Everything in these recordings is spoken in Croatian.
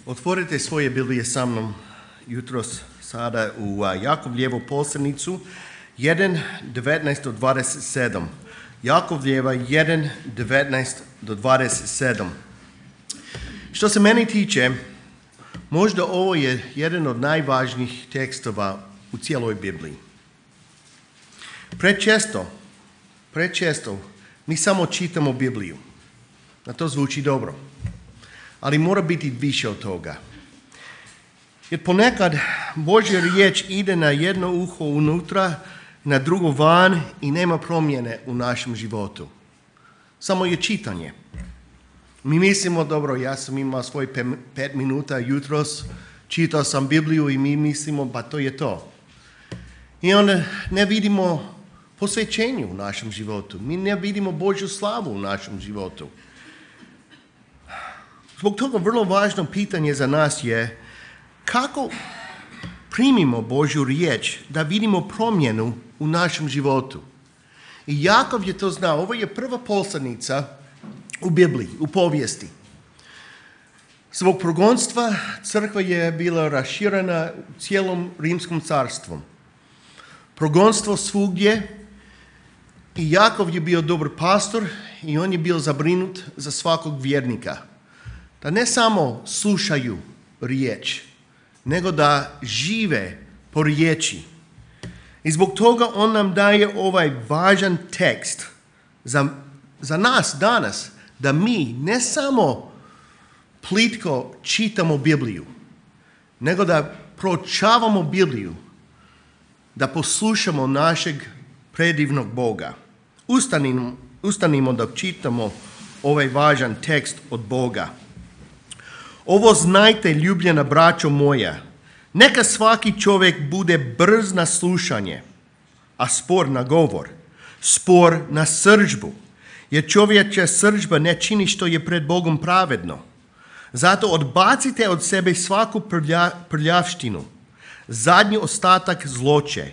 Otvorite svoje Biblije sa mnom jutros sada u Jakovljevu poslanicu 1:19-27. Jakovljeva 1:19-27. Što se meni tiče, možda ovo je jedan od najvažnijih tekstova u cijeloj Bibliji. Prečesto mi samo čitamo Bibliju. A to zvuči dobro. Ali mora biti više od toga. Jer ponekad Božja riječ ide na jedno uho unutra, na drugo van i nema promjene u našem životu. Samo je čitanje. Mi mislimo, dobro, ja sam imao svoj 5 minuta jutros, čitao sam Bibliju i mi mislimo, pa to je to. I onda ne vidimo posvećenje u našem životu. Mi ne vidimo Božju slavu u našem životu. Zbog toga vrlo važno pitanje za nas je kako primimo Božju riječ da vidimo promjenu u našem životu. I Jakov je to znao. Ovo je prva poslanica u Bibliji, u povijesti. Zbog progonstva crkva je bila raširena cijelom rimskom carstvom. Progonstvo svugdje i Jakov je bio dobar pastor i on je bio zabrinut za svakog vjernika. Da ne samo slušaju riječ, nego da žive po riječi. I zbog toga on nam daje ovaj važan tekst za nas danas, da mi ne samo plitko čitamo Bibliju, nego da proučavamo Bibliju, da poslušamo našeg predivnog Boga. Ustanimo da čitamo ovaj važan tekst od Boga. Ovo znajte, ljubljena braćo moja, neka svaki čovjek bude brz na slušanje, a spor na govor, spor na srdžbu, jer čovječja srdžba ne čini što je pred Bogom pravedno. Zato odbacite od sebe svaku prljavštinu, zadnji ostatak zloće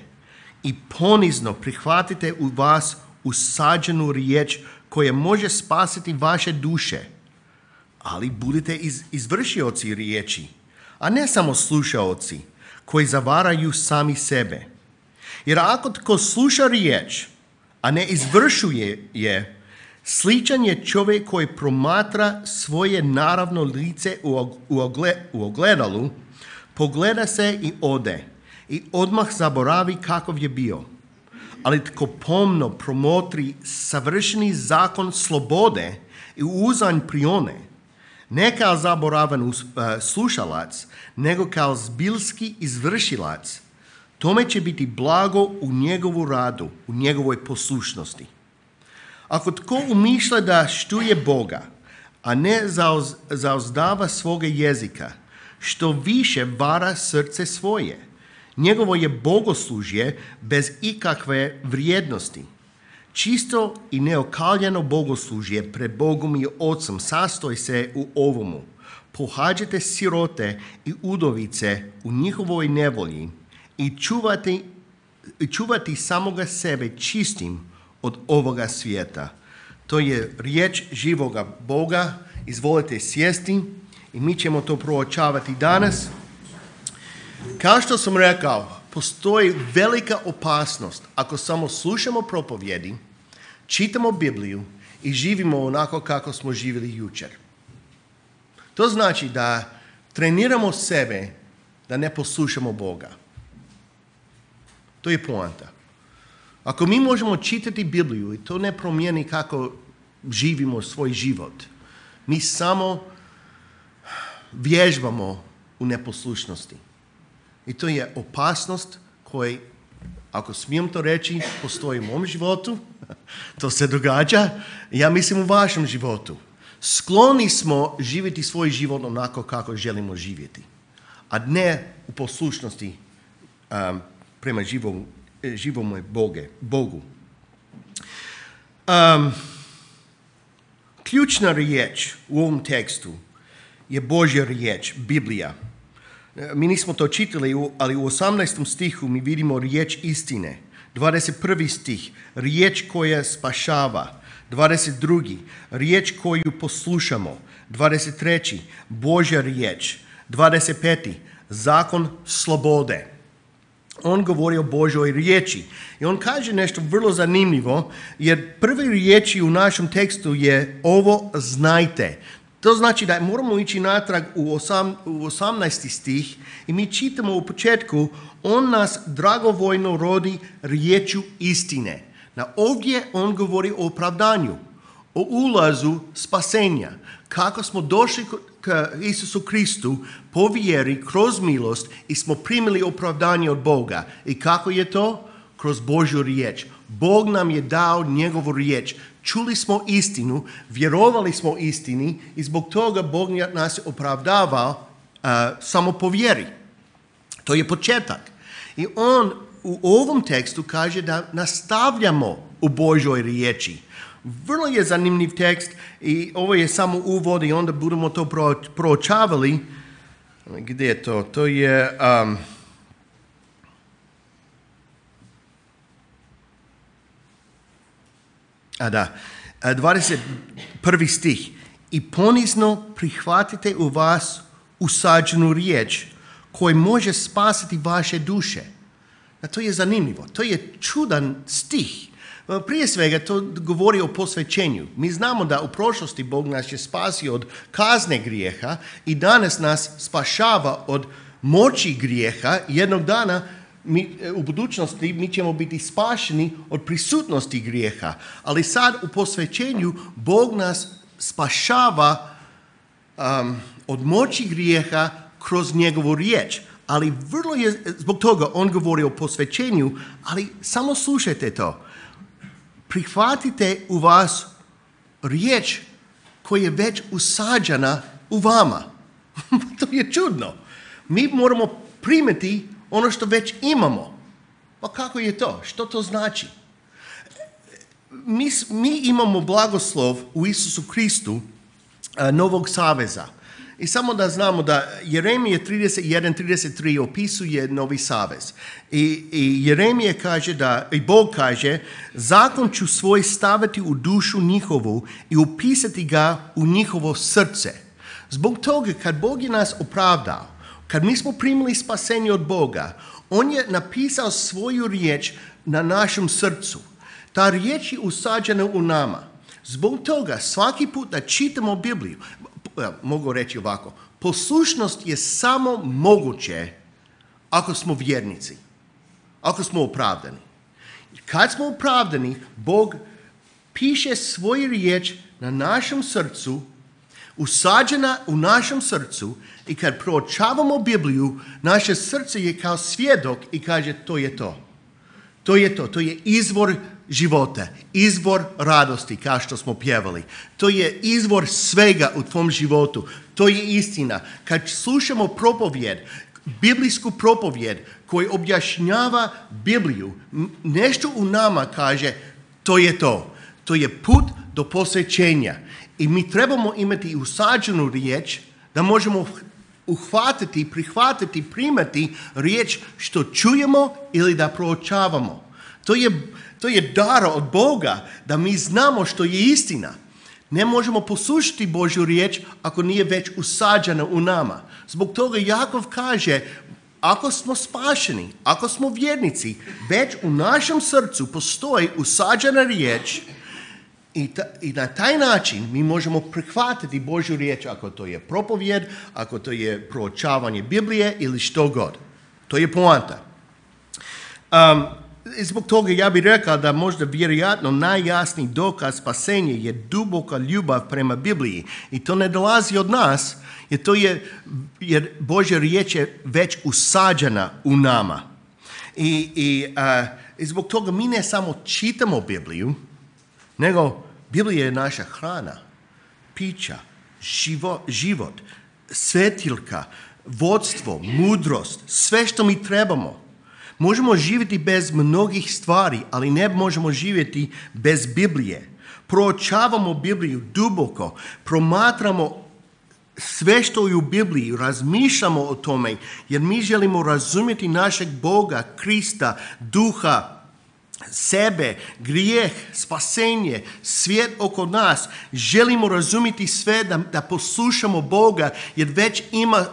i ponizno prihvatite u vas usađenu riječ koja može spasiti vaše duše. Ali budite izvršioci riječi, a ne samo slušaoci koji zavaraju sami sebe. Jer ako tko sluša riječ, a ne izvršuje je, sličan je čovjek koji promatra svoje naravno lice u ogledalu, pogleda se i ode i odmah zaboravi kakav je bio. Ali tko pomno promotri savršeni zakon slobode i uzanj prione, ne kao zaboravan slušalac, nego kao zbilski izvršilac, tome će biti blago u njegovu radu, u njegovoj poslušnosti. Ako tko umišlja da štuje Boga, a ne zauzdava svoga jezika, što više vara srce svoje, njegovo je bogoslužje bez ikakve vrijednosti. Čisto i neokaljeno bogoslužje pred Bogom i Otcem sastoji se u ovomu. Pohađajte sirote i udovice u njihovoj nevolji i čuvati samoga sebe čistim od ovoga svijeta. To je riječ živoga Boga. Izvolite sjesti i mi ćemo to proučavati danas. Kao što sam rekao, postoji velika opasnost ako samo slušamo propovjedi, čitamo Bibliju i živimo onako kako smo živjeli jučer. To znači da treniramo sebe da ne poslušamo Boga. To je poanta. Ako mi možemo čitati Bibliju i to ne promijeni kako živimo svoj život, mi samo vježbamo u neposlušnosti. I to je opasnost koja, ako smijem to reći, postoji u mom životu. To se događa, ja mislim u vašem životu. Skloni smo živjeti svoj život onako kako želimo živjeti, a ne u poslušnosti prema živome Bogu. Ključna riječ u ovom tekstu je Božja riječ, Biblija. Mi nismo to čitali, ali u 18. stihu mi vidimo riječ istine. 21. stih, riječ koja spašava. 22. riječ koju poslušamo. 23. Božja riječ. 25. Zakon slobode. On govori o Božoj riječi. I on kaže nešto vrlo zanimljivo, jer prve riječi u našem tekstu je ovo znajte. To znači da moramo ići natrag u 18. stih i mi čitamo u početku, on nas dragovoljno rodi riječju istine. Na ovdje on govori o opravdanju, o ulazu spasenja. Kako smo došli k Isusu Kristu po vjeri, kroz milost i smo primili opravdanje od Boga. I kako je to? Kroz Božju riječ. Bog nam je dao njegovu riječ. Čuli smo istinu, vjerovali smo istini i zbog toga Bog nas opravdava samo po vjeri. To je početak. I on u ovom tekstu kaže da nastavljamo u Božoj riječi. Vrlo je zanimljiv tekst i ovo je samo uvod i onda budemo to proučavali. Gdje je to? To je... 21. stih. I ponizno prihvatite u vas usađenu riječ koja može spasiti vaše duše. A to je zanimljivo. To je čudan stih. Prije svega to govori o posvećenju. Mi znamo da u prošlosti Bog nas je spasio od kazne grijeha i danas nas spašava od moći grijeha. Jednog dana u budućnosti mi ćemo biti spašeni od prisutnosti grijeha. Ali sad u posvećenju Bog nas spašava od moći grijeha kroz njegovu riječ. Ali vrlo je, zbog toga on govori o posvećenju, ali samo slušajte to. Prihvatite u vas riječ koja je već usađena u vama. To je čudno. Mi moramo primiti ono što imamo. Pa kako je to? Što to znači? Mi imamo blagoslov u Isusu Kristu Novog saveza. I samo da znamo da Jeremije 31:33 opisuje Novi savez. I Jeremije kaže i Bog kaže, zakon ću svoj staviti u dušu njihovu i upisati ga u njihovo srce. Zbog toga kad Bog je nas opravdao, kad mi smo primili spasenje od Boga, on je napisao svoju riječ na našem srcu. Ta riječ je usađena u nama. Zbog toga svaki put da čitamo Bibliju, mogu reći ovako, poslušnost je samo moguće ako smo vjernici, ako smo opravdani. Kad smo opravdani, Bog piše svoju riječ na našem srcu, usađena u našem srcu i kad proučavamo Bibliju, naše srce je kao svjedok i kaže to je to. To je to, to je izvor života, izvor radosti kao što smo pjevali. To je izvor svega u tvom životu. To je istina. Kad slušamo propovjed, biblijsku propovjed koja objašnjava Bibliju, nešto u nama kaže to je to. To je put do posvećenja. I mi trebamo imati usađenu riječ da možemo uhvatiti, prihvatiti, primati riječ što čujemo ili da proučavamo. To je dar od Boga da mi znamo što je istina. Ne možemo poslušati Božju riječ ako nije već usađena u nama. Zbog toga Jakov kaže, ako smo spašeni, ako smo vjernici, već u našem srcu postoji usađena riječ i na taj način mi možemo prihvatiti Božju riječ ako to je propovjed, ako to je proučavanje Biblije ili što god. To je poanta. Zbog toga ja bih rekao da možda vjerojatno najjasniji dokaz spasenja je duboka ljubav prema Bibliji. I to ne dolazi od nas, jer Božja riječ je već usađena u nama. I zbog toga mi ne samo čitamo Bibliju, nego Biblija je naša hrana, pića, život, svetiljka, vodstvo, mudrost, sve što mi trebamo. Možemo živjeti bez mnogih stvari, ali ne možemo živjeti bez Biblije. Proučavamo Bibliju duboko, promatramo sve što je u Bibliji, razmišljamo o tome, jer mi želimo razumjeti našeg Boga, Krista, Duha sebe, grijeh, spasenje, svijet oko nas. Želimo razumjeti sve da poslušamo Boga, jer već ima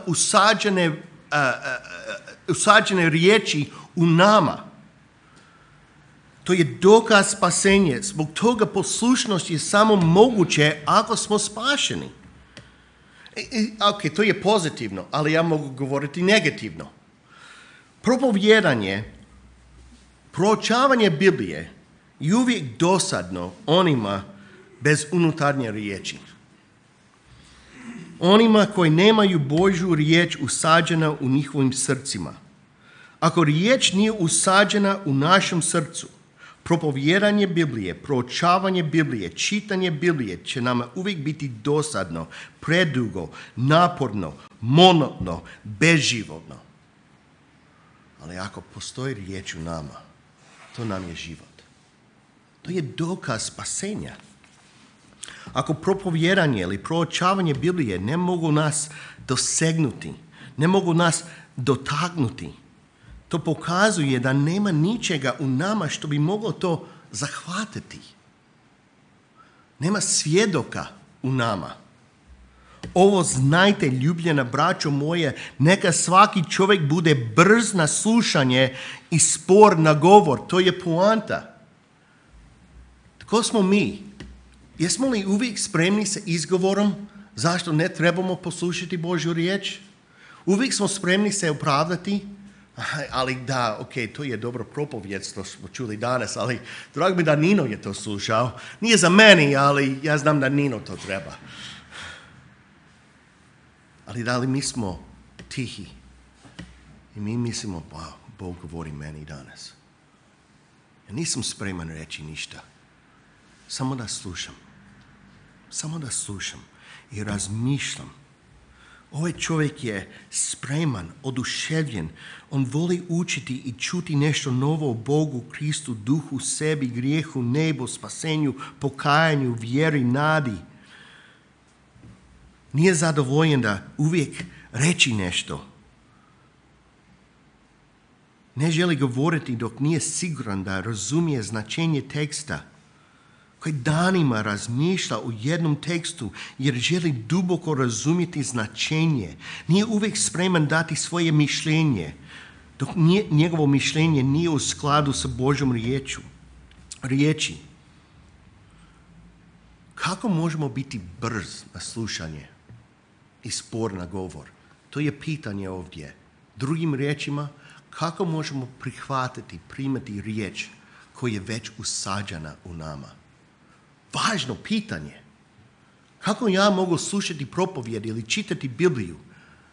usađene riječi u nama. To je dokaz spasenja. Zbog toga poslušnost je samo moguće ako smo spašeni. Ok, to je pozitivno, ali ja mogu govoriti negativno. Propovijedanje, proučavanje Biblije je uvijek dosadno onima bez unutarnje riječi. Onima koji nemaju Božju riječ usađena u njihovim srcima. Ako riječ nije usađena u našem srcu, propovijedanje Biblije, proučavanje Biblije, čitanje Biblije će nama uvijek biti dosadno, predugo, naporno, monotno, bezživotno. Ali ako postoji riječ u nama, to nam je život. To je dokaz spasenja. Ako propovijedanje ili proučavanje Biblije ne mogu nas dosegnuti, ne mogu nas dotaknuti, to pokazuje da nema ničega u nama što bi moglo to zahvatiti. Nema svjedoka u nama. Ovo znajte, ljubljena braćo moje, neka svaki čovjek bude brz na slušanje i spor na govor. To je poanta. Tko smo mi? Jesmo li uvijek spremni sa izgovorom zašto ne trebamo poslušati Božju riječ? Uvijek smo spremni se opravdati, ali da, ok, to je dobro propovijed što smo čuli danas, ali drago mi da Nino je to slušao. Nije za meni, ali ja znam da Nino to treba. Ali da li mi smo tihi i mi mislimo, pa Bog govori meni danas. Ja nisam spreman reći ništa. Samo da slušam. Samo da slušam i razmišljam. Ovaj čovjek je spreman, oduševljen. On voli učiti i čuti nešto novo o Bogu, Kristu, duhu, sebi, grijehu, nebu, spasenju, pokajanju, vjeri, nadi. Nije zadovoljen da uvijek reći nešto. Ne želi govoriti dok nije siguran da razumije značenje teksta. Koji danima razmišlja u jednom tekstu jer želi duboko razumjeti značenje. Nije uvijek spreman dati svoje mišljenje dok njegovo mišljenje nije u skladu sa Božjom riječi. Kako možemo biti brz na slušanje i spor na govor? To je pitanje ovdje. Drugim riječima, kako možemo primati riječ koja je već usađena u nama? Važno pitanje. Kako ja mogu slušati propovijed ili čitati Bibliju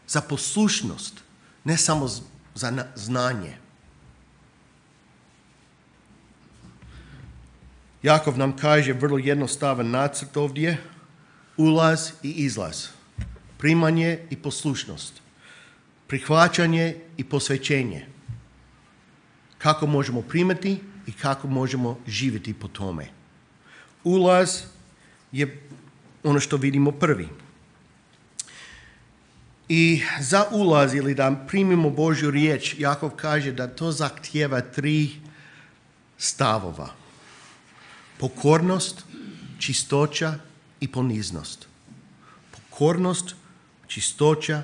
za poslušnost, ne samo za znanje? Jakov nam kaže vrlo jednostavan nacrt ovdje, ulaz i izlaz, primanje i poslušnost, prihvaćanje i posvećenje. Kako možemo primati i kako možemo živjeti po tome. Ulaz je ono što vidimo prvi. I za ulaz ili da primimo Božju riječ, Jakov kaže da to zahtijeva 3 stavova. Pokornost, čistoća i poniznost. Pokornost, čistoća,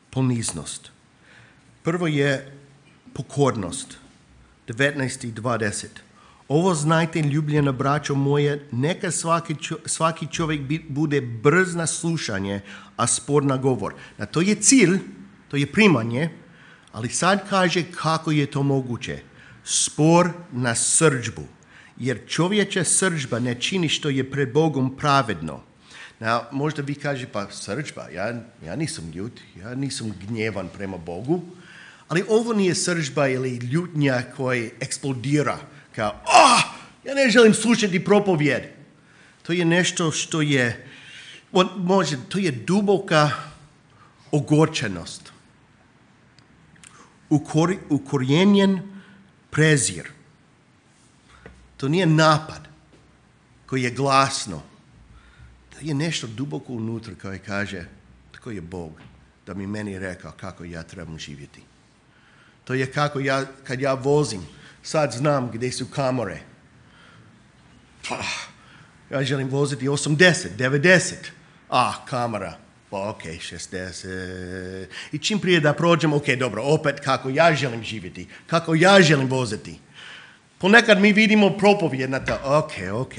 poniznost. Prvo je pokornost. 19 i 20. Ovo znajte, ljubljena braćo moje, neka svaki čovjek bude brz na slušanje, a spor na govor. Na to je cilj, to je primanje, ali sad kaže kako je to moguće. Spor na srdžbu, jer čovječa srdžba ne čini što je pred Bogom pravedno. Možda vi kaže, pa srdžba, ja nisam ljut, ja nisam gnjevan prema Bogu, ali ovo nije srdžba ili ljutnja koja eksplodira, kao, ja ne želim slušati propovijed. To je nešto što je, to je duboka ogorčenost. Ukorijenjen prezir. To nije napad koji je glasno. To je nešto duboko unutra koje kaže, tko je Bog da mi meni rekao kako ja trebam živjeti. To je kako kad ja vozim, Sad znam gdje su kamere. Ja želim voziti 80, 90. Kamera. Ok, 60. I čim prije da prođem, ok, dobro, opet kako ja želim živjeti, kako ja želim voziti. Ponekad mi vidimo propovjed na to.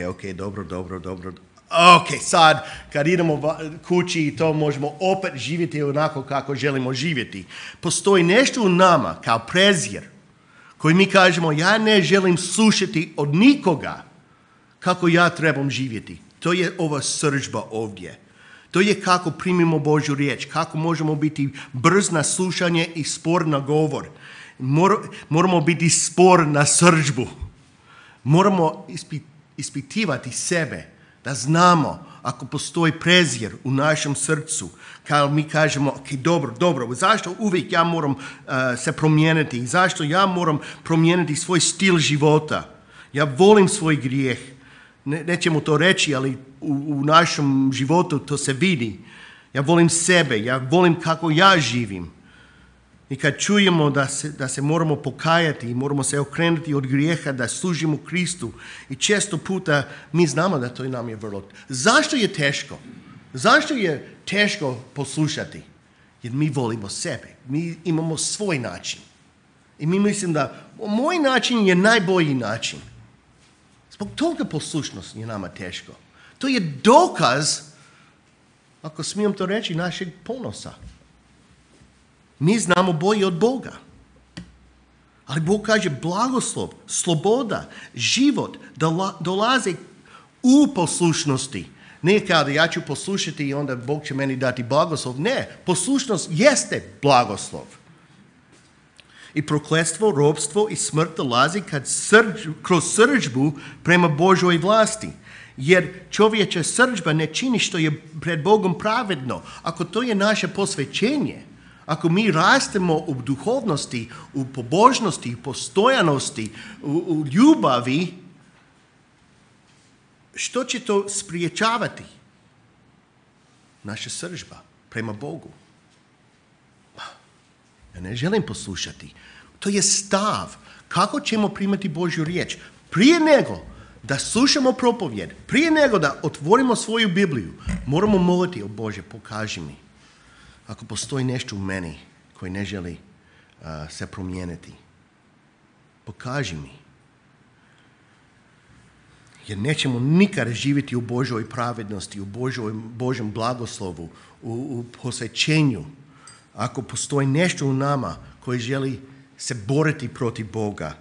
Ok, dobro. Ok, sad kad idemo kući i to možemo opet živjeti onako kako želimo živjeti. Postoji nešto u nama kao prezir koji mi kažemo ja ne želim slušati od nikoga kako ja trebam živjeti. To je ova srdžba ovdje. To je kako primimo Božju riječ, kako možemo biti brz na slušanje i spor na govor. Moramo biti spor na srdžbu. Moramo ispitivati sebe, da znamo ako postoji prezir u našem srcu, kao mi kažemo, ok, dobro, zašto uvijek ja moram se promijeniti, zašto ja moram promijeniti svoj stil života. Ja volim svoj grijeh. Nećemo to reći, ali u našem životu to se vidi. Ja volim sebe, ja volim kako ja živim. I kad čujemo da se moramo pokajati i moramo se okrenuti od grijeha, da služimo Kristu, i često puta mi znamo da to nam je vrlo. Zašto je teško? Zašto je teško poslušati? Jer mi volimo sebe. Mi imamo svoj način. I mi mislim da moj način je najbolji način. Zbog toga poslušnost je nama teško. To je dokaz, ako smijem to reći, našeg ponosa. Mi znamo bolje od Boga. Ali Bog kaže blagoslov, sloboda, život dolaze u poslušnosti. Ne kao da ja ću poslušati i onda Bog će meni dati blagoslov. Ne, poslušnost jeste blagoslov. I prokletstvo, ropstvo i smrt dolazi kroz srdžbu prema Božoj vlasti. Jer čovječa srdžba ne čini što je pred Bogom pravedno. Ako to je naše posvećenje, ako mi rastemo u duhovnosti, u pobožnosti, u postojanosti, u ljubavi, što će to spriječavati? Naša srdžba prema Bogu. Ja ne želim poslušati. To je stav. Kako ćemo primati Božju riječ? Prije nego da slušamo propovjed, prije nego da otvorimo svoju Bibliju, moramo moliti, o Bože, pokaži mi. Ako postoji nešto u meni koji ne želi se promijeniti, pokaži mi. Jer nećemo nikada živjeti u Božoj pravednosti, u Božjem blagoslovu, u posvećenju. Ako postoji nešto u nama koji želi se boriti protiv Boga,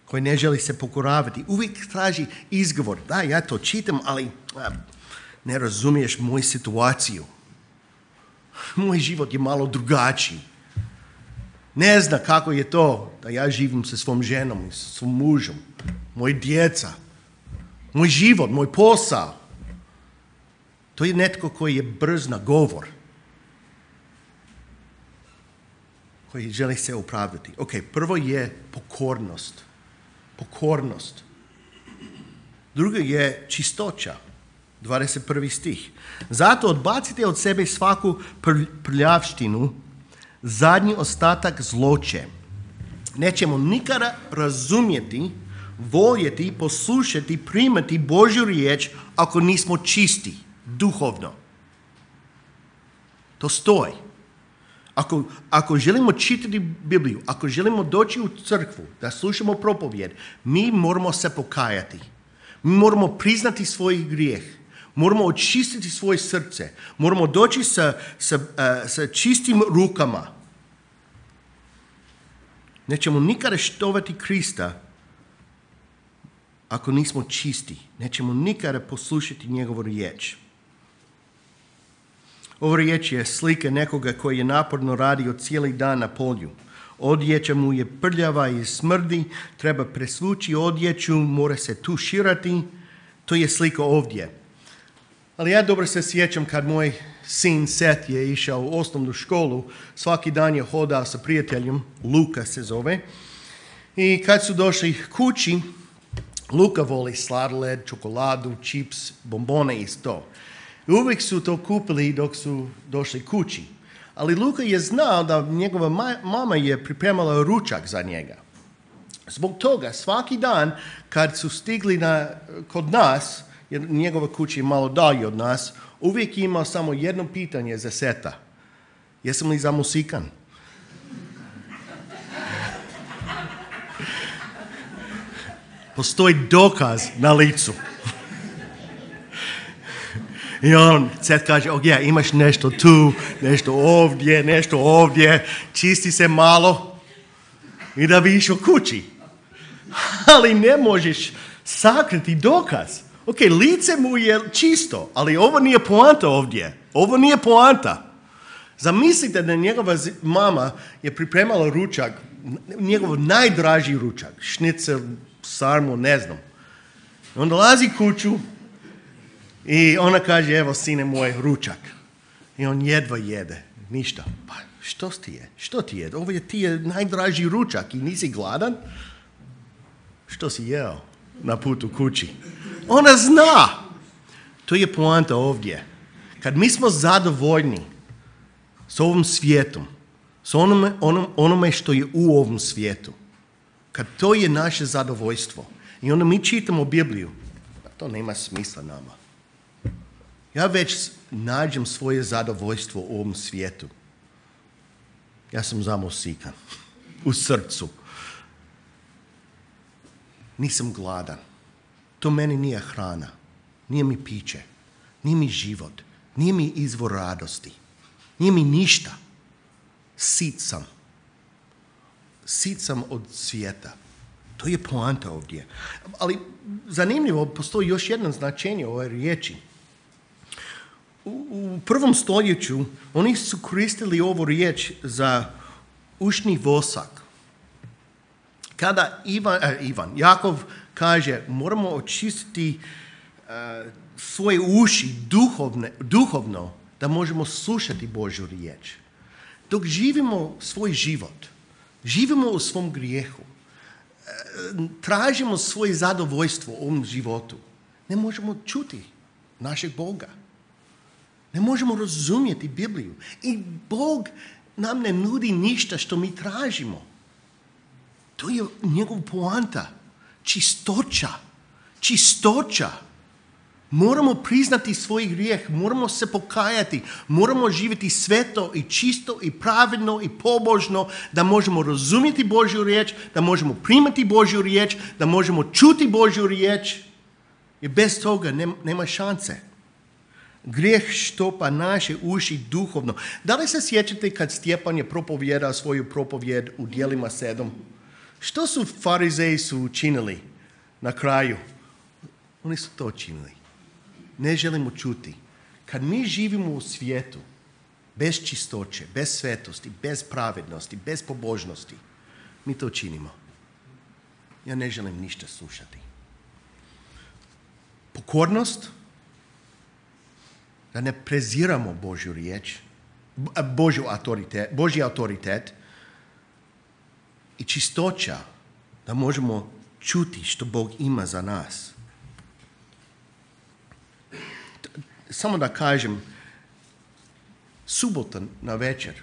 koji ne želi se pokoravati, uvijek traži izgovor. Da, ja to čitam, ali ne razumiješ moju situaciju. Moj život je malo drugačiji. Ne zna kako je to da ja živim sa svom ženom i sa svom mužom, moji djeca, moj život, moj posao. To je netko koji je brz na govor, koji želi se opravdati. Ok, prvo je pokornost. Drugo je čistoća. 21. stih. Zato odbacite od sebe svaku prljavštinu, zadnji ostatak zloće. Nećemo nikada razumjeti, voljeti, poslušati, primati Božju riječ ako nismo čisti, duhovno. To stoji. Ako želimo čitati Bibliju, ako želimo doći u crkvu, da slušamo propovjed, mi moramo se pokajati. Mi moramo priznati svoj grijeh. Moramo očistiti svoje srce. Moramo doći sa čistim rukama. Nećemo nikada štovati Krista ako nismo čisti. Nećemo nikada poslušati njegovu riječ. Ova riječ je slika nekoga koji je naporno radio cijeli dan na polju. Odjeća mu je prljava i smrdi, treba presvući odjeću, mora se tuširati. To je slika ovdje. Ali ja dobro se sjećam kad moj sin Seth je išao u osnovnu školu, svaki dan je hodao sa prijateljem, Luka se zove, i kad su došli kući, Luka voli sladoled, čokoladu, čips, bombone i to. I uvijek su to kupili dok su došli kući. Ali Luka je znao da njegova mama je pripremala ručak za njega. Zbog toga, svaki dan kad su stigli kod nas, jer njegova kuća je malo dalje od nas, uvijek je imao samo jedno pitanje za Seta. Jesam li zamusikan? Postoji dokaz na licu. I Set kaže, imaš nešto tu, nešto ovdje, čisti se malo i da vidiš u kući. Ali ne možeš sakriti dokaz. Lice mu je čisto, ali ovo nije poanta ovdje. Ovo nije poanta. Zamislite da njegova mama je pripremala ručak, njegov najdraži ručak, šnicel, sarmu, ne znam. On dolazi kuću i ona kaže, evo sine moj, ručak. I on jedva jede, ništa. Pa što ti je? Ovo ti je najdraži ručak i nisi gladan? Što si jeo na putu kući? Ona zna. To je poanta ovdje. Kad mi smo zadovoljni s ovom svijetom, s onome što je u ovom svijetu, kad to je naše zadovoljstvo i onda mi čitamo Bibliju, to nema smisla nama. Ja već nađem svoje zadovoljstvo u ovom svijetu. Ja sam zamusikan u srcu. Nisam gladan. To meni nije hrana. Nije mi piće. Nije mi život. Nije mi izvor radosti. Nije mi ništa. Sit sam. Sit sam od svijeta. To je poanta ovdje. Ali zanimljivo, postoji još jedno značenje ove riječi. U prvom stoljeću oni su koristili ovu riječ za ušni vosak. Kada Jakov kaže, moramo očistiti svoje uši duhovno da možemo slušati Božju riječ. Dok živimo svoj život, živimo u svom grijehu, tražimo svoje zadovoljstvo u ovom životu, ne možemo čuti našeg Boga. Ne možemo razumjeti Bibliju. I Bog nam ne nudi ništa što mi tražimo. To je njegov poanta. Čistoća. Moramo priznati svoj grijeh, moramo se pokajati, moramo živjeti sveto i čisto i pravedno i pobožno, da možemo razumjeti Božju riječ, da možemo primati Božju riječ, da možemo čuti Božju riječ. I bez toga nema šanse. Grijeh štopa naše uši duhovno. Da li se sjećate kad Stjepan je propovijedao svoju propovijed u Djelima 7? Što su farizeji učinili na kraju? Oni su to činili. Ne želimo čuti. Kad mi živimo u svijetu, bez čistoće, bez svetosti, bez pravednosti, bez pobožnosti, mi to činimo. Ja ne želim ništa slušati. Pokornost, da ne preziramo Božju riječ, Božji autoritet i čistoća, da možemo čuti što Bog ima za nas. Samo da kažem, subota na večer,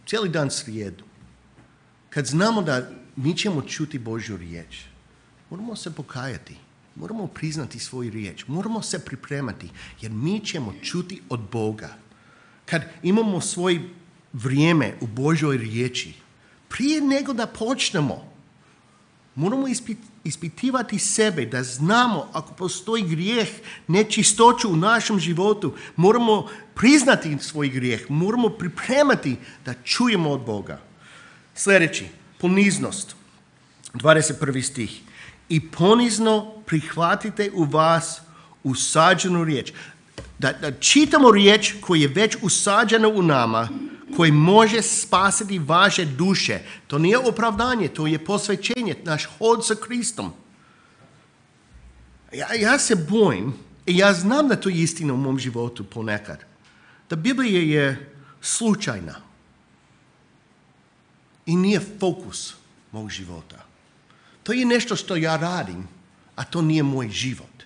cijeli dan srijedu, kad znamo da mi ćemo čuti Božju riječ, moramo se pokajati, moramo priznati svoju riječ, moramo se pripremati, jer mi ćemo čuti od Boga. Kad imamo svoje vrijeme u Božjoj riječi, prije nego da počnemo, moramo ispitivati sebe, da znamo ako postoji grijeh, nečistoću u našem životu, moramo priznati svoj grijeh, moramo pripremati da čujemo od Boga. Sljedeći, poniznost, 21. stih. I ponizno prihvatite u vas usađenu riječ. Da čitamo riječ koja je već usađena u nama, koji može spasiti vaše duše. To nije opravdanje, to je posvećenje, naš hod sa Kristom. Ja se bojim, i ja znam da to je istina u mom životu ponekad, da Biblija je slučajna i nije fokus mog života. To je nešto što ja radim, a to nije moj život.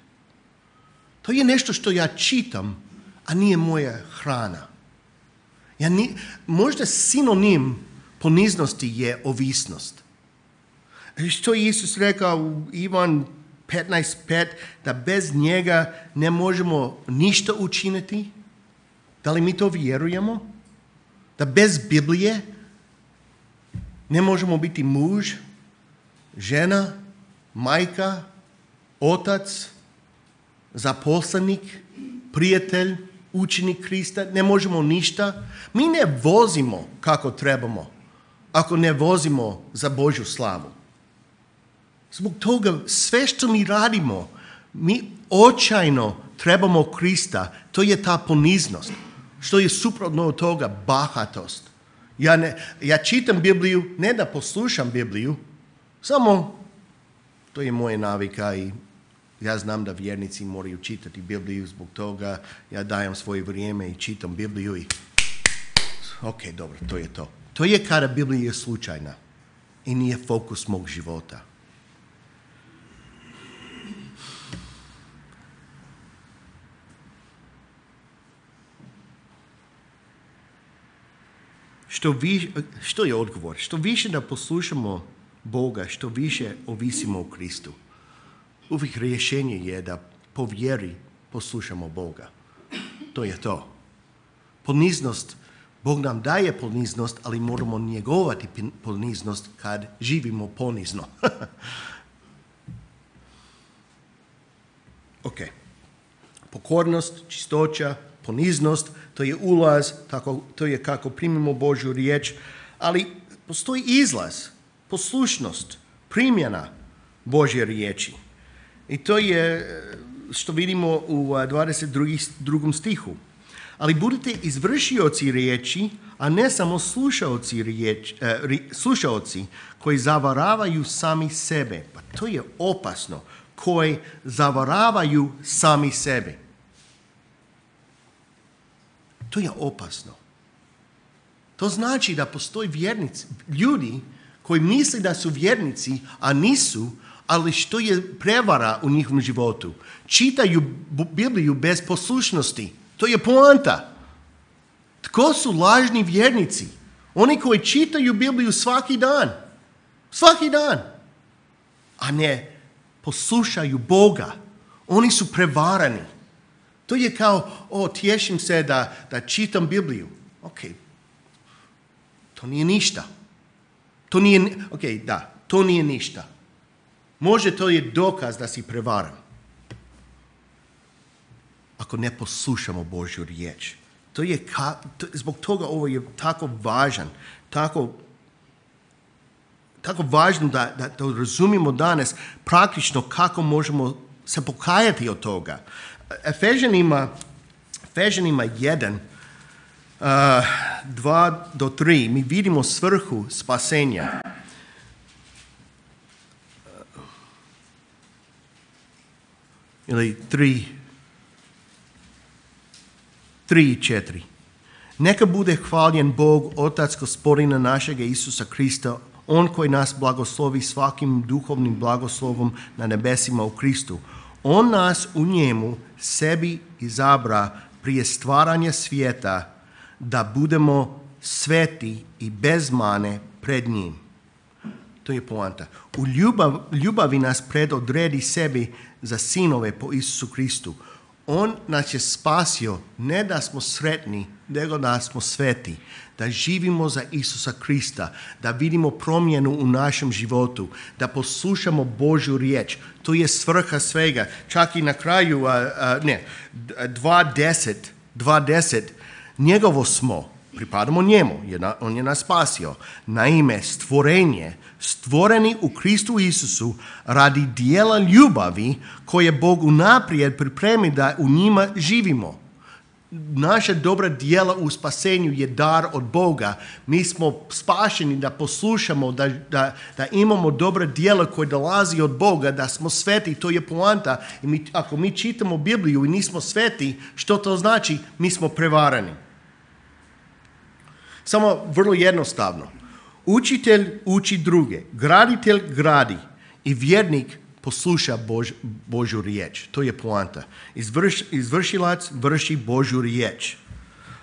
To je nešto što ja čitam, a nije moja hrana. Možda sinonim poniznosti je ovisnost. Što je Isus rekao u Ivan 15:5, da bez njega ne možemo ništa učiniti? Da li mi to vjerujemo? Da bez Biblije ne možemo biti muž, žena, majka, otac, zaposlenik, prijatelj, učenik Krista, ne možemo ništa. Mi ne vozimo kako trebamo ako ne vozimo za Božju slavu. Zbog toga sve što mi radimo, mi očajno trebamo Krista. To je ta poniznost. Što je suprotno od toga? Bahatost. Ja čitam Bibliju, ne da poslušam Bibliju, samo to je moja navika i ja znam da vjernici moraju čitati Bibliju, zbog toga ja dajem svoje vrijeme i čitam Bibliju i ok, dobro, to je to. To je kada Biblija je slučajna i nije fokus mog života. Što je odgovor? Što više da poslušamo Boga, što više ovisimo o Kristu. Uvijek rješenje je da po vjeri poslušamo Boga. To je to. Poniznost, Bog nam daje poniznost, ali moramo njegovati poniznost kad živimo ponizno. Ok. Pokornost, čistoća, poniznost, to je ulaz, to je kako primimo Božju riječ, ali postoji izlaz, poslušnost, primjena Božje riječi. I to je što vidimo u 22. stihu. Ali budite izvršioci riječi, a ne samo slušaoci koji zavaravaju sami sebe. Pa to je opasno, koji zavaravaju sami sebe. To je opasno. To znači da postoji vjernici, ljudi koji misle da su vjernici, a nisu, ali što je prevara u njihovom životu. Čitaju Bibliju bez poslušnosti. To je poanta. Tko su lažni vjernici? Oni koji čitaju Bibliju svaki dan. Svaki dan. A ne poslušaju Boga. Oni su prevarani. To je kao, tješim se da čitam Bibliju. Ok, to nije ništa. To nije ništa. Može to je dokaz da si prevaran. Ako ne poslušamo Božju riječ. Zbog toga ovo je tako važan, tako važno da to razumimo danas praktično kako možemo se pokajati od toga. Efežanima 1, 2-3, mi vidimo svrhu spasenja. Ili 3 i 4. Neka bude hvaljen Bog, Otac Gospodina našega Isusa Krista, On koji nas blagoslovi svakim duhovnim blagoslovom na nebesima u Kristu. On nas u njemu sebi izabra prije stvaranja svijeta da budemo sveti i bez mane pred njim. To je poanta. U ljubavi nas predodredi sebi za sinove po Isusu Kristu. On nas je spasio ne da smo sretni, nego da smo sveti. Da živimo za Isusa Krista, da vidimo promjenu u našem životu, da poslušamo Božju riječ. To je svrha svega. Čak i na kraju, 2.10, njegovo smo, pripadamo njemu, on je nas spasio. Naime, stvoreni u Kristu Isusu radi dijela ljubavi koje Bog unaprijed pripremi da u njima živimo. Naša dobra djela u spasenju je dar od Boga. Mi smo spašeni da poslušamo, da imamo dobra djela koje dolazi od Boga, da smo sveti, to je poanta. I ako mi čitamo Bibliju i nismo sveti, što to znači? Mi smo prevarani. Samo vrlo jednostavno. Učitelj uči druge, graditelj gradi i vjernik posluša Božju riječ. To je poanta. Izvršilac vrši Božju riječ.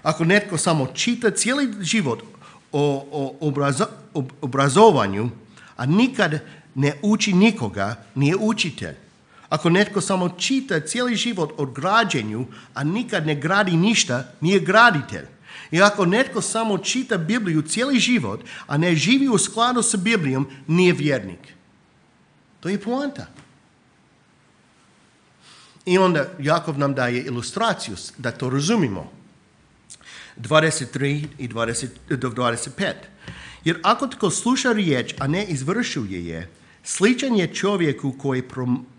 Ako netko samo čita cijeli život o obrazovanju, a nikad ne uči nikoga, nije učitelj. Ako netko samo čita cijeli život o građenju, a nikad ne gradi ništa, nije graditelj. I ako netko samo čita Bibliju cijeli život, a ne živi u skladu sa Biblijom, nije vjernik. To je poanta. I onda Jakov nam daje ilustraciju da to razumimo. 23 i 25. Jer ako tko sluša riječ, a ne izvršuje je, sličan je čovjeku koji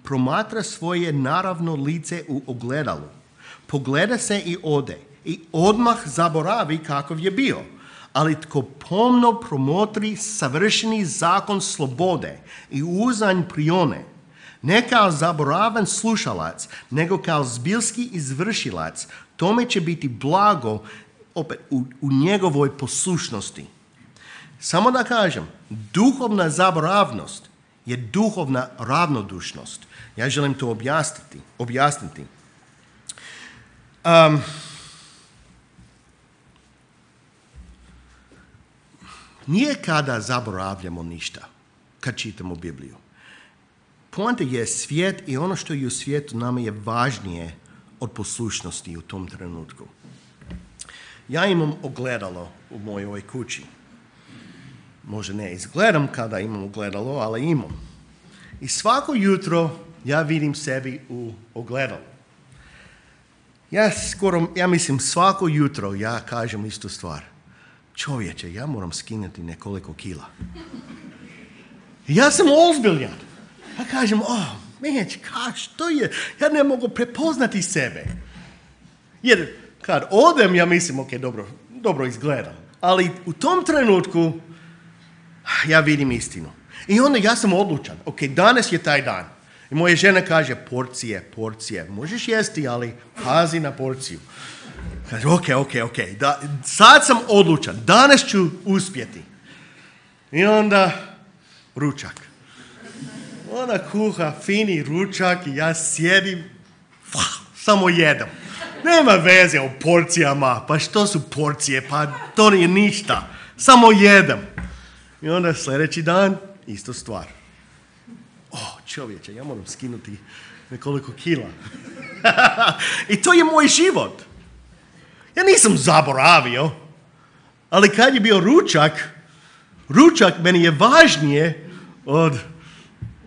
promatra svoje naravno lice u ogledalu. Pogleda se i ode i odmah zaboravi kakav je bio. Ali tko pomno promotri savršeni zakon slobode i uzanj prione, ne kao zaboravan slušalac, nego kao zbilski izvršilac, tome će biti blago opet u njegovoj poslušnosti. Samo da kažem, duhovna zaboravnost je duhovna ravnodušnost. Ja želim to objasniti. Nije kada zaboravljamo ništa, kad čitamo Bibliju. Poanta je svijet i ono što je u svijetu nama je važnije od poslušnosti u tom trenutku. Ja imam ogledalo u mojoj kući. Možda ne izgledam kada imam ogledalo, ali imam. I svako jutro ja vidim sebi u ogledalu. Ja mislim svako jutro ja kažem istu stvar. Čovječe, ja moram skinuti nekoliko kila. Ja sam ozbiljan. Ja kažem, što je? Ja ne mogu prepoznati sebe. Jer kad odem, ja mislim, dobro izgledam. Ali u tom trenutku ja vidim istinu. I onda ja sam odlučan. Danas je taj dan. I moja žena kaže, porcije. Možeš jesti, ali pazi na porciju. Kaže, ok. Sad sam odlučan. Danas ću uspjeti. I onda ručak. Ona kuha fini ručak i ja sjedim, samo jedem. Nema veze o porcijama, pa što su porcije, pa to nije ništa. Samo jedem. I onda sljedeći dan, isto stvar. Čovječe, ja moram skinuti nekoliko kila. I to je moj život. Ja nisam zaboravio, ali kad je bio ručak meni je važnije od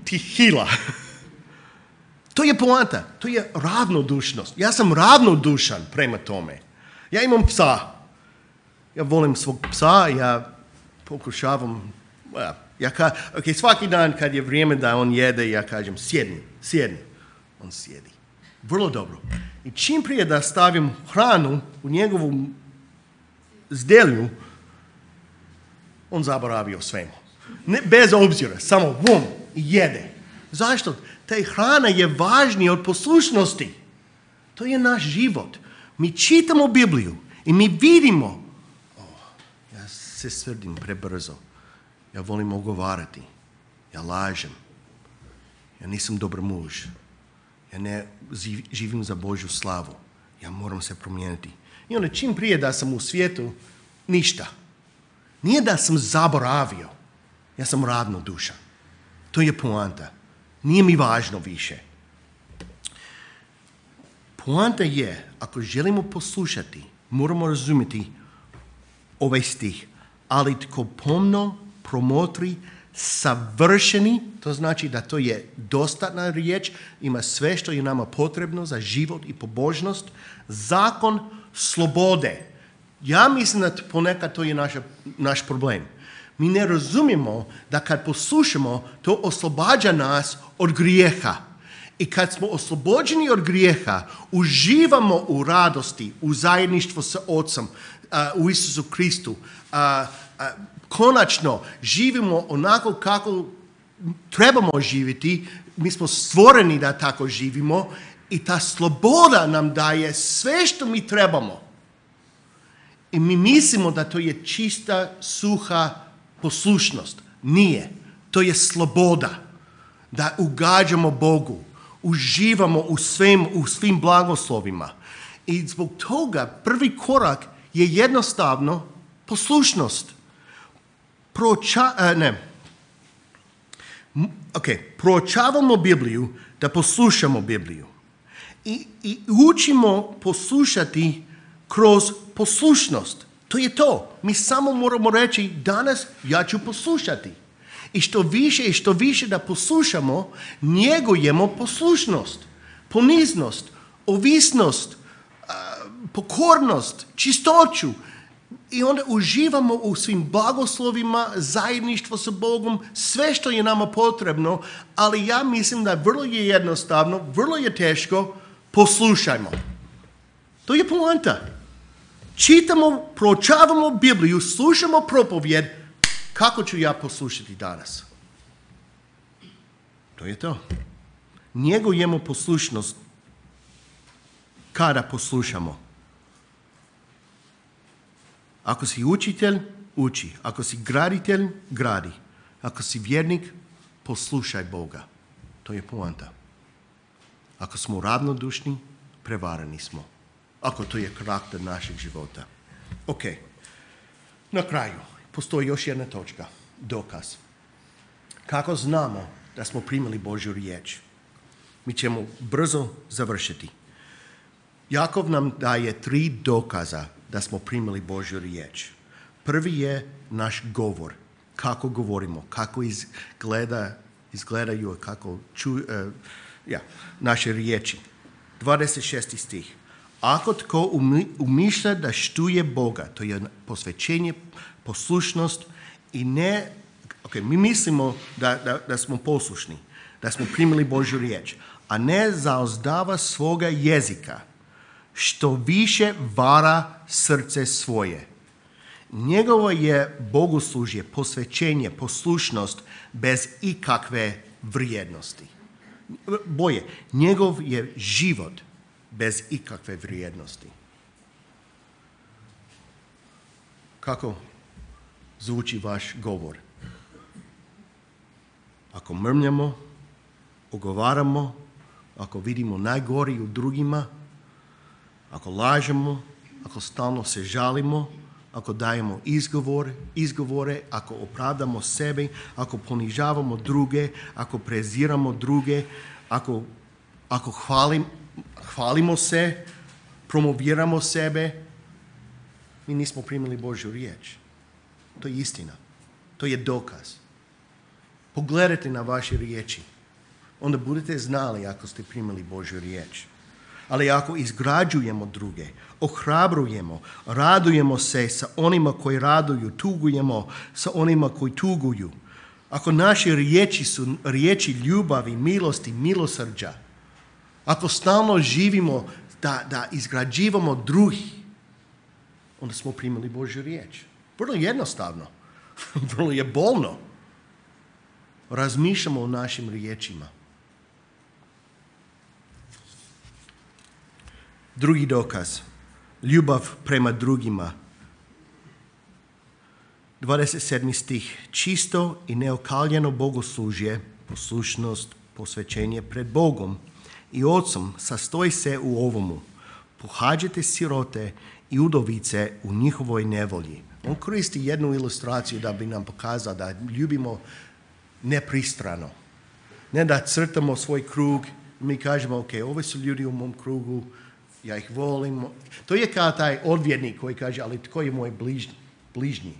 tih kila. To je poanta, to je ravnodušnost. Ja sam ravnodušan prema tome. Ja imam psa. Ja volim svog psa, ja pokušavam, svaki dan kad je vrijeme da on jede, ja kažem sjedni. On sjedi. Vrlo dobro. I čim prije da stavim hranu u njegovu zdelju, on zaboravi o svemu. Bez obzira, samo jede. Zašto? Taj hrana je važnija od poslušnosti. To je naš život. Mi čitamo Bibliju i mi vidimo. Ja se srdim prebrzo. Ja volim ogovarati. Ja lažem. Ja nisam dobar muž. Ja ne živim za Božju slavu. Ja moram se promijeniti. I onda čim prije da sam u svijetu, ništa. Nije da sam zaboravio. Ja sam ravnodušan. To je poanta. Nije mi važno više. Poanta je, ako želimo poslušati, moramo razumjeti ovaj stih. Ali tko pomno promotri savršeni, to znači da to je dostatna riječ, ima sve što je nama potrebno za život i pobožnost, zakon slobode. Ja mislim da ponekad to je naš problem. Mi ne razumijemo da kad poslušamo, to oslobađa nas od grijeha. I kad smo oslobođeni od grijeha, uživamo u radosti, u zajedništvu sa Otcem, u Isusu Kristu. Konačno živimo onako kako trebamo živjeti. Mi smo stvoreni da tako živimo i ta sloboda nam daje sve što mi trebamo. I mi mislimo da to je čista, suha poslušnost. Nije. To je sloboda. Da ugađamo Bogu. Uživamo u svim blagoslovima. I zbog toga prvi korak je jednostavno poslušnost. proučavamo Bibliju da poslušamo Bibliju. I učimo poslušati kroz poslušnost. To je to. Mi samo moramo reći, danas ja ću poslušati. I što više da poslušamo, njegujemo poslušnost, poniznost, ovisnost, pokornost, čistoću. I onda uživamo u svim blagoslovima, zajedništvo sa Bogom, sve što je nama potrebno, ali ja mislim da vrlo je jednostavno, vrlo je teško, poslušajmo. To je poanta. Čitamo, proučavamo Bibliju, slušamo propovjed, kako ću ja poslušati danas? To je to. Njegujemo poslušnost kada poslušamo. Ako si učitelj, uči. Ako si graditelj, gradi. Ako si vjernik, poslušaj Boga. To je poanta. Ako smo ravnodušni, prevareni smo. Ako to je karakter našeg života. Ok. Na kraju, postoji još jedna točka. Dokaz. Kako znamo da smo primili Božju riječ? Mi ćemo brzo završiti. Jakov nam daje 3 dokaza da smo primili Božju riječ. Prvi je naš govor. Kako govorimo, kako izgledaju, kako naše riječi. 26. stih. Ako tko umišlja da štuje Boga, to je posvećenje, poslušnost i ne... mi mislimo da smo poslušni, da smo primili Božju riječ, a ne zaozdava svoga jezika, što više vara srce svoje. Njegovo je bogoslužje, posvećenje, poslušnost bez ikakve vrijednosti. Njegov je život bez ikakve vrijednosti. Kako zvuči vaš govor? Ako mrmljamo, ogovaramo, ako vidimo najgori u drugima, ako lažemo, ako stalno se žalimo, ako dajemo izgovore, ako opravdamo sebe, ako ponižavamo druge, ako preziramo druge, ako hvalimo se, promoviramo sebe, mi nismo primili Božju riječ. To je istina. To je dokaz. Pogledajte na vaše riječi. Onda budete znali ako ste primili Božju riječ. Ali ako izgrađujemo druge, ohrabrujemo, radujemo se sa onima koji raduju, tugujemo sa onima koji tuguju. Ako naše riječi su riječi ljubavi, milosti, milosrđa, ako stalno živimo da izgrađivamo drugih, onda smo primili Božju riječ. Vrlo jednostavno, vrlo je bolno. Razmišljamo o našim riječima. Drugi dokaz. Ljubav prema drugima. 27. stih. Čisto i neokaljeno bogoslužje, poslušnost, posvećenje pred Bogom i Otcom sastoji se u ovomu. Pohađajte sirote i udovice u njihovoj nevolji. On koristi jednu ilustraciju da bi nam pokazao da ljubimo nepristrano. Ne da crtamo svoj krug i mi kažemo, ok, ovi su ljudi u mom krugu, ja ih volim. To je kao taj odvjetnik koji kaže, ali tko je moj bližnji?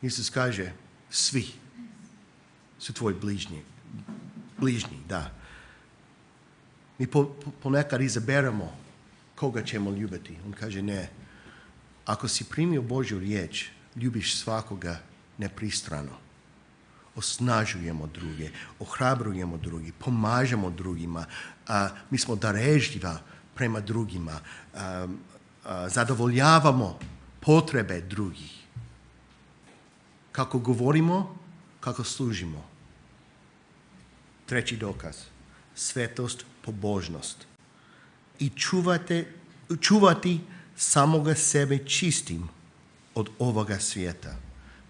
Isus kaže, svi su tvoji bližnji, da. Mi ponekad izaberemo koga ćemo ljubiti. On kaže, ne. Ako si primio Božju riječ, ljubiš svakoga nepristrano. Osnažujemo druge, ohrabrujemo drugi, pomažemo drugima. Mi smo darežljiva prema drugima. Zadovoljavamo potrebe drugih. Kako govorimo, kako služimo. Treći dokaz. Svetost, pobožnost. I čuvati samoga sebe čistim od ovoga svijeta.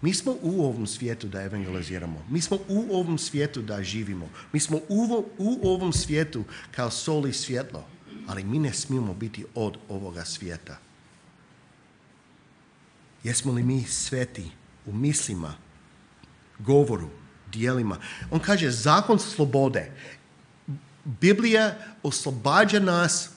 Mi smo u ovom svijetu da evangeliziramo. Mi smo u ovom svijetu da živimo. Mi smo u ovom svijetu kao sol i svjetlo. Ali mi ne smijemo biti od ovoga svijeta. Jesmo li mi sveti u mislima, govoru, dijelima. On kaže zakon slobode. Biblija oslobađa nas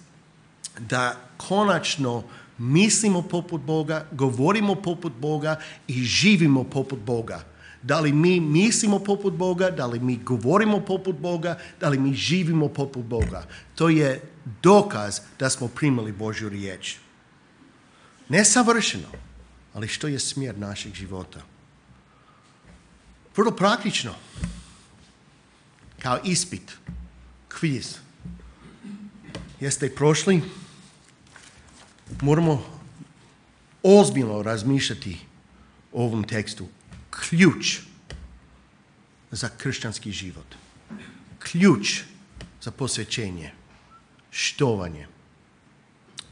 da konačno mislimo poput Boga, govorimo poput Boga i živimo poput Boga. Da li mi mislimo poput Boga, da li mi govorimo poput Boga, da li mi živimo poput Boga. To je dokaz da smo primili Božju riječ. Ne savršeno, ali što je smjer našeg života. Vrlo praktično, kao ispit, kviz. Jeste prošli? Moramo ozbiljno razmišljati o ovom tekstu. Ključ za kršćanski život. Ključ za posvećenje, štovanje.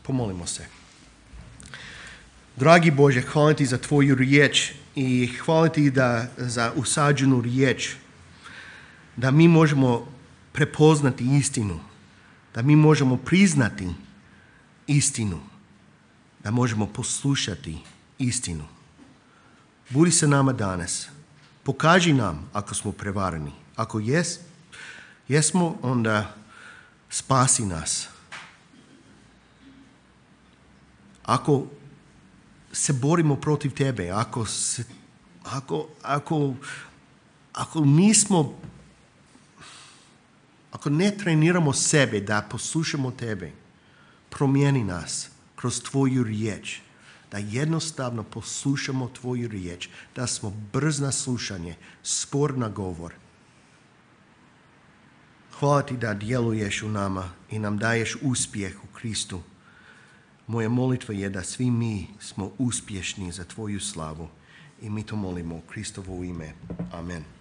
Pomolimo se. Dragi Bože, hvala ti za tvoju riječ i hvala ti za usađenu riječ, da mi možemo prepoznati istinu, da mi možemo priznati istinu, da možemo poslušati istinu. Budi sa nama danas. Pokaži nam ako smo prevareni. Ako jesmo, onda spasi nas. Ako se borimo protiv tebe, ako ne treniramo sebe da poslušamo tebe, promijeni nas kroz tvoju riječ, da jednostavno poslušamo tvoju riječ, da smo brz na slušanje, spor na govor. Hvala ti da djeluješ u nama i nam daješ uspjeh u Kristu. Moja molitva je da svi mi smo uspješni za tvoju slavu i mi to molimo u Kristovo ime. Amen.